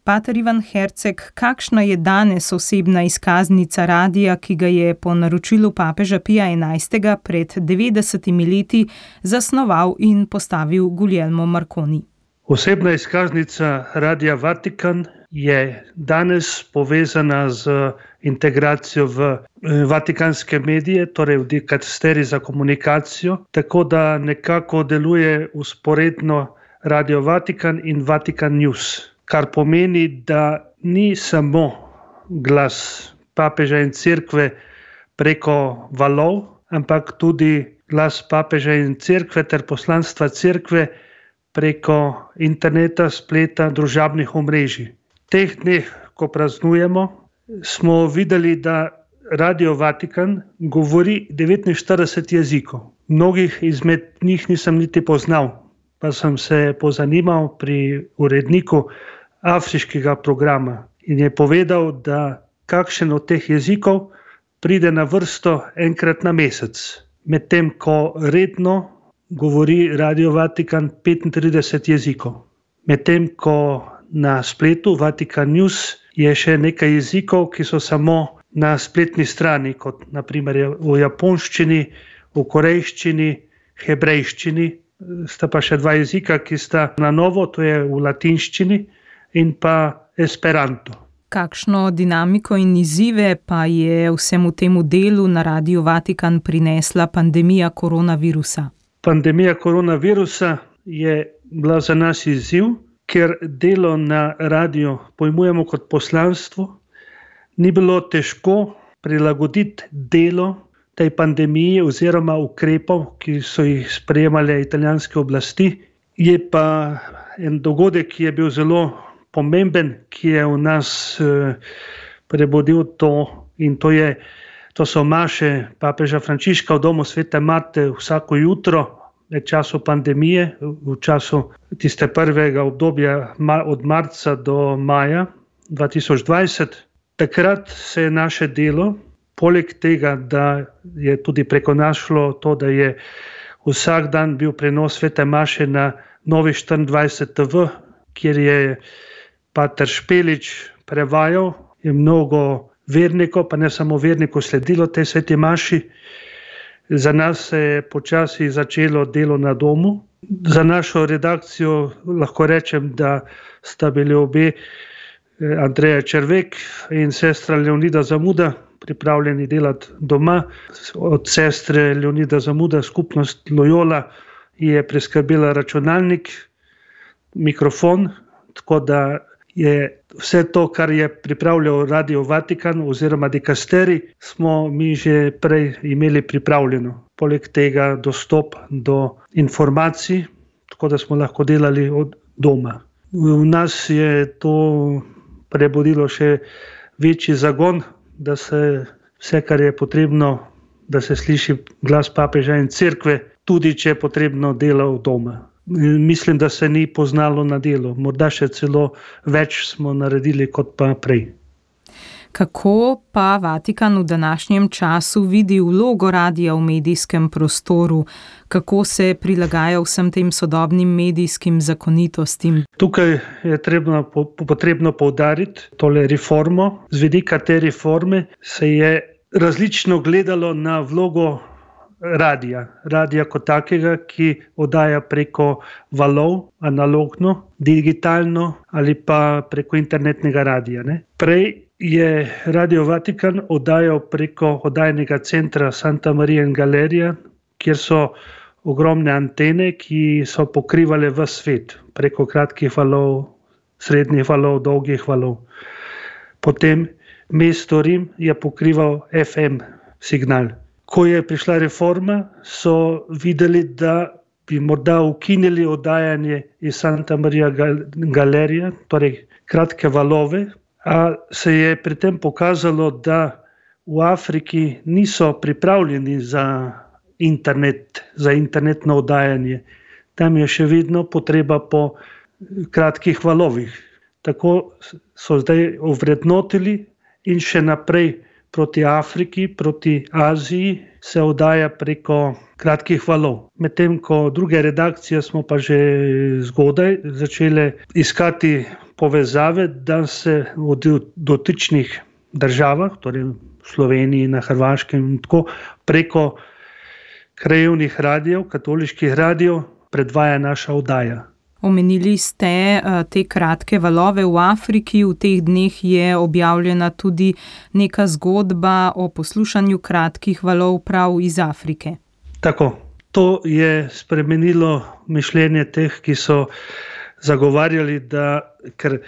Pater Ivan Herceg, kakšna je danes osebna izkaznica radia, ki ga je po naročilu papeža Pija XI. Pred 90 leti zasnoval in postavil Guglielmo Marconi? Osebna izkaznica Radia Vatikan je danes povezana z integracijo v vatikanske medije, torej v dikasterij za komunikacijo, tako da nekako deluje vzporedno Radio Vatikan in Vatikan News, kar pomeni, da ni samo glas papeža in cerkve preko valov, ampak tudi glas papeža in cerkve ter poslanstva cerkve preko interneta, spleta, družabnih omrežij. V teh dneh, ko praznujemo, smo videli, da Radio Vatikan govori 49 jezikov. Mnogih izmed njih nisem niti poznal, pa sem se pozanimal pri uredniku afriškega programa in je povedal, da kakšen od teh jezikov pride na vrsto enkrat na mesec, medtem ko redno govori Radio Vatikan 35 jezikov. Medtem ko na spletu Vatikan News je še nekaj jezikov, ki so samo na spletni strani, kot naprimer v japonščini, v korejščini, hebrejščini. Sta pa še dva jezika, ki sta na novo, to je v latinščini in pa esperanto. Kakšno dinamiko in izzive pa je vsemu temu delu na Radiu Vatikan prinesla pandemija koronavirusa? Pandemija koronavirusa je bila za nas izziv, ker delo na radiju pojmujemo kot poslanstvo. Ni bilo težko prilagoditi delo tej pandemiji oziroma ukrepov, ki so jih sprejemale italijanske oblasti. Je pa en dogodek, ki je bil zelo pomemben, ki je v nas prebudil to, in to so maše papeža Frančiška v domu Svete Marte vsako jutro v času pandemije, v času tiste prvega obdobja od marca do maja 2020. Takrat se je naše delo, poleg tega, da je tudi preko nas šlo to, da je vsak dan bil prenos Svete maše na Novi 24 TV, kjer je pater Špelič prevajal, je mnogo vernikov, pa ne samo vernikov, sledilo tej Sveti maši. Za nas se je počasi začelo delo na domu. Za našo redakcijo lahko rečem, da sta bili obe, Andreja Červek in sestra Leonida Zamuda, pripravljeni delati doma. Od sestre Leonida Zamuda skupnost Loyola je preskrbela računalnik, mikrofon, tako da je vse to, kar je pripravljal Radio Vatikan oziroma dikasterij, smo mi že prej imeli pripravljeno. Poleg tega dostop do informacij, tako da smo lahko delali od doma. V nas je to prebudilo še večji zagon, da se vse, kar je potrebno, da se sliši glas papeža in cerkve, tudi če je potrebno, dela od doma. Mislim, da se ni poznalo na delu. Morda še celo več smo naredili kot pa prej. Kako pa Vatikan v današnjem času vidi vlogo radia v medijskem prostoru? Kako se prilagaja vsem tem sodobnim medijskim zakonitostim? Tukaj je potrebno poudariti tole reformo. Z vidika te reforme se je različno gledalo na vlogo radija kot takega, ki oddaja preko valov, analogno, digitalno ali pa preko internetnega radija. Prej je Radio Vatikan oddajal preko oddajnega centra Santa Maria in Galerija, kjer so ogromne antene, ki so pokrivale ves svet, preko kratkih valov, srednjih valov, dolgih valov. Potem mesto Rim je pokrival FM signal. Ko je prišla reforma, so videli, da bi morda ukinili oddajanje iz Santa Maria Galerija, torej kratke valove, a se je pri tem pokazalo, da v Afriki niso pripravljeni za internet, za internetno oddajanje. Tam je še vedno potreba po kratkih valovih. Tako so zdaj ovrednotili in še naprej proti Afriki, proti Aziji se oddaja preko kratkih valov. Medtem ko druge redakcije smo pa že zgodaj začeli iskati povezave, da se v dotičnih državah, torej v Sloveniji, na Hrvaškem in tako, preko krajevnih radijev, katoliških radijev predvaja naša oddaja. Omenili ste te kratke valove v Afriki. V teh dneh je objavljena tudi neka zgodba o poslušanju kratkih valov prav iz Afrike. Tako. To je spremenilo mišljenje teh, ki so zagovarjali, da ker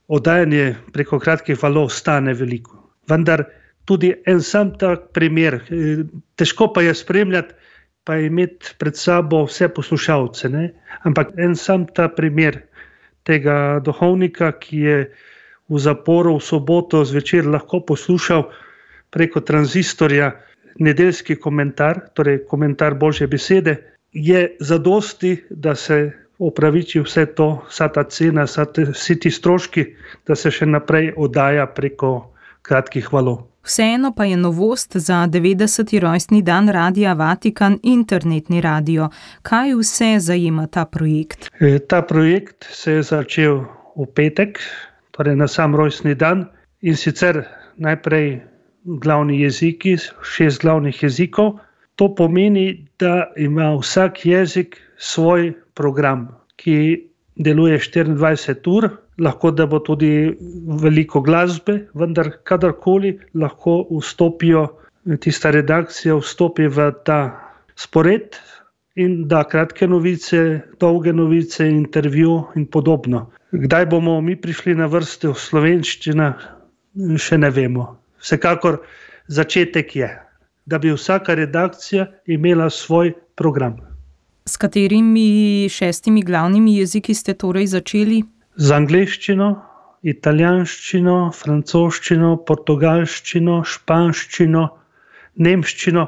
oddajanje preko kratkih valov stane veliko. Vendar tudi en sam tak primer, težko pa je spremljati, pa imeti pred sabo vse poslušalce, ne? Ampak en sam ta primer tega duhovnika, ki je v zaporu v soboto zvečer lahko poslušal preko tranzistorja nedeljski komentar, torej komentar Božje besede, je zadosti, da se opraviči vse to, vsa ta cena, vsi ti stroški, da se še naprej oddaja preko kratkih valov. Vseeno pa je novost za 90. rojstni dan Radia Vatikan internetni radio. Kaj vse zajema ta projekt? Ta projekt se je začel v petek, torej na sam rojstni dan, in sicer najprej glavni jeziki, 6 glavnih jezikov. To pomeni, da ima vsak jezik svoj program, ki deluje 24 ur. Lahko da bo tudi veliko glasbe, vendar kadarkoli lahko tista redakcija vstopi v ta spored in da kratke novice, dolge novice, intervju in podobno. Kdaj bomo mi prišli na vrsto slovenščina, še ne vemo. Vsekakor začetek je, da bi vsaka redakcija imela svoj program. S katerimi 6 glavnimi jeziki ste torej začeli? Z angleščino, italijanščino, francoščino, portugalščino, španščino, nemščino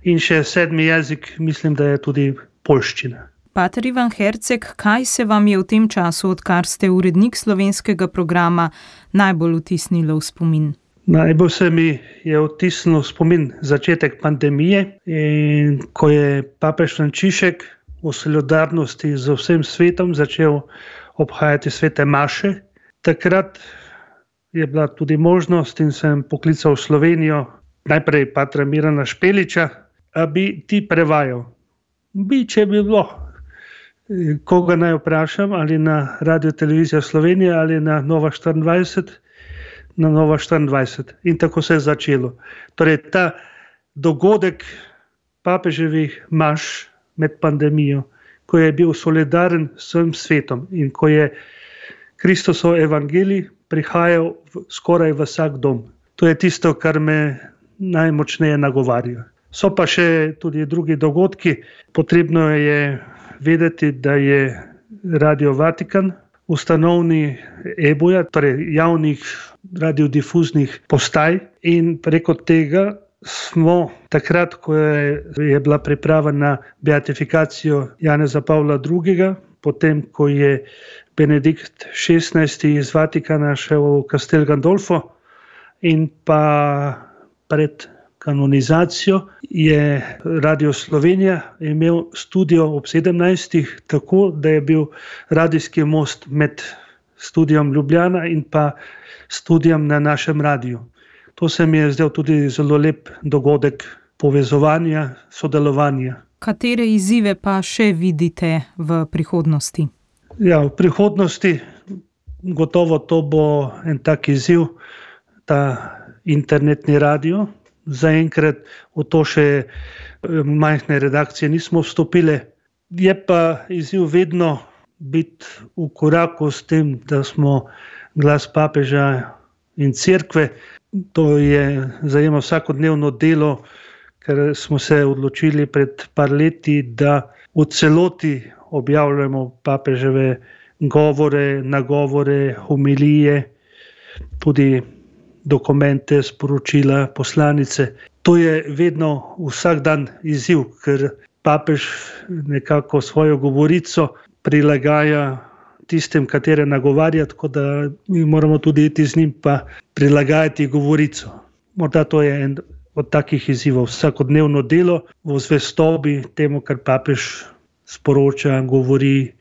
in še 7. jezik, mislim, da je tudi poljščina. Pater Ivan Herceg, kaj se vam je v tem času, odkar ste urednik slovenskega programa, najbolj vtisnilo v spomin? Najbolj se mi je vtisnilo v spomin začetek pandemije, in ko je papež Frančišek v solidarnosti z vsem svetom začel obhajati svete maše. Takrat je bila tudi možnost in sem poklical v Slovenijo najprej patra Mirana Špeliča, a bi ti prevajal. Če bi bilo, koga naj vprašam, ali na Radio Televizija Slovenija ali na Nova 24, na Nova 24. In tako se je začelo. Torej ta dogodek papeževih maš med pandemijo, ko je bil solidaren s vsem svetom in ko je Kristusov evangelij prihajal skoraj v vsak dom. To je tisto, kar me najmočneje nagovarja. So pa še tudi drugi dogodki. Potrebno je vedeti, da je Radio Vatikan ustanovni EBU-ja, torej javnih radiodifuznih postaj, in preko tega smo takrat, ko je bila priprava na beatifikacijo Janeza Pavla II., potem, ko je Benedikt XVI iz Vatikana šel v Castel Gandolfo in pa pred kanonizacijo, je Radio Slovenija imel studio ob 17. tako, da je bil radijski most med studiom Ljubljana in pa studijem na našem radiju. To se mi je zdel tudi zelo lep dogodek povezovanja, sodelovanja. Katere izzive pa še vidite v prihodnosti? Ja, v prihodnosti gotovo to bo en tak izziv, ta internetni radio. Zaenkrat v to še majhne redakcije nismo vstopili. Je pa izziv vedno biti v koraku s tem, da smo glas papeža in cerkve. To je zajema vsakodnevno delo, ker smo se odločili pred par leti, da v celoti objavljamo papeževe govore, nagovore, homilije, tudi dokumente, sporočila, poslanice. To je vedno vsak dan izziv, ker papež nekako svojo govorico prilagaja tistim, katere nagovarja, tako da mi moramo tudi iti z njim pa prilagajati govorico. morda to je en od takih izzivov, vsakodnevno delo v zvestobi temu, kar papež sporoča, govori,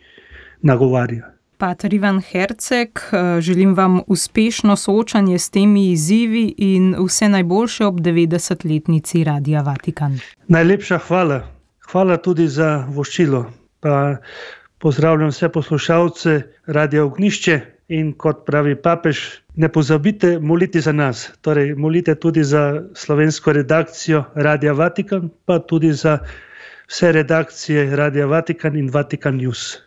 nagovarja. Pater Ivan Herceg, želim vam uspešno soočanje s temi izzivi in vse najboljše ob 90-letnici Radia Vatikan. Najlepša hvala. Hvala tudi za voščilo. Pa pozdravljam vse poslušalce Radia Ognjišče in kot pravi papež, ne pozabite moliti za nas. Torej, molite tudi za slovensko redakcijo Radia Vatikan, pa tudi za vse redakcije Radia Vatikan in Vatikan News.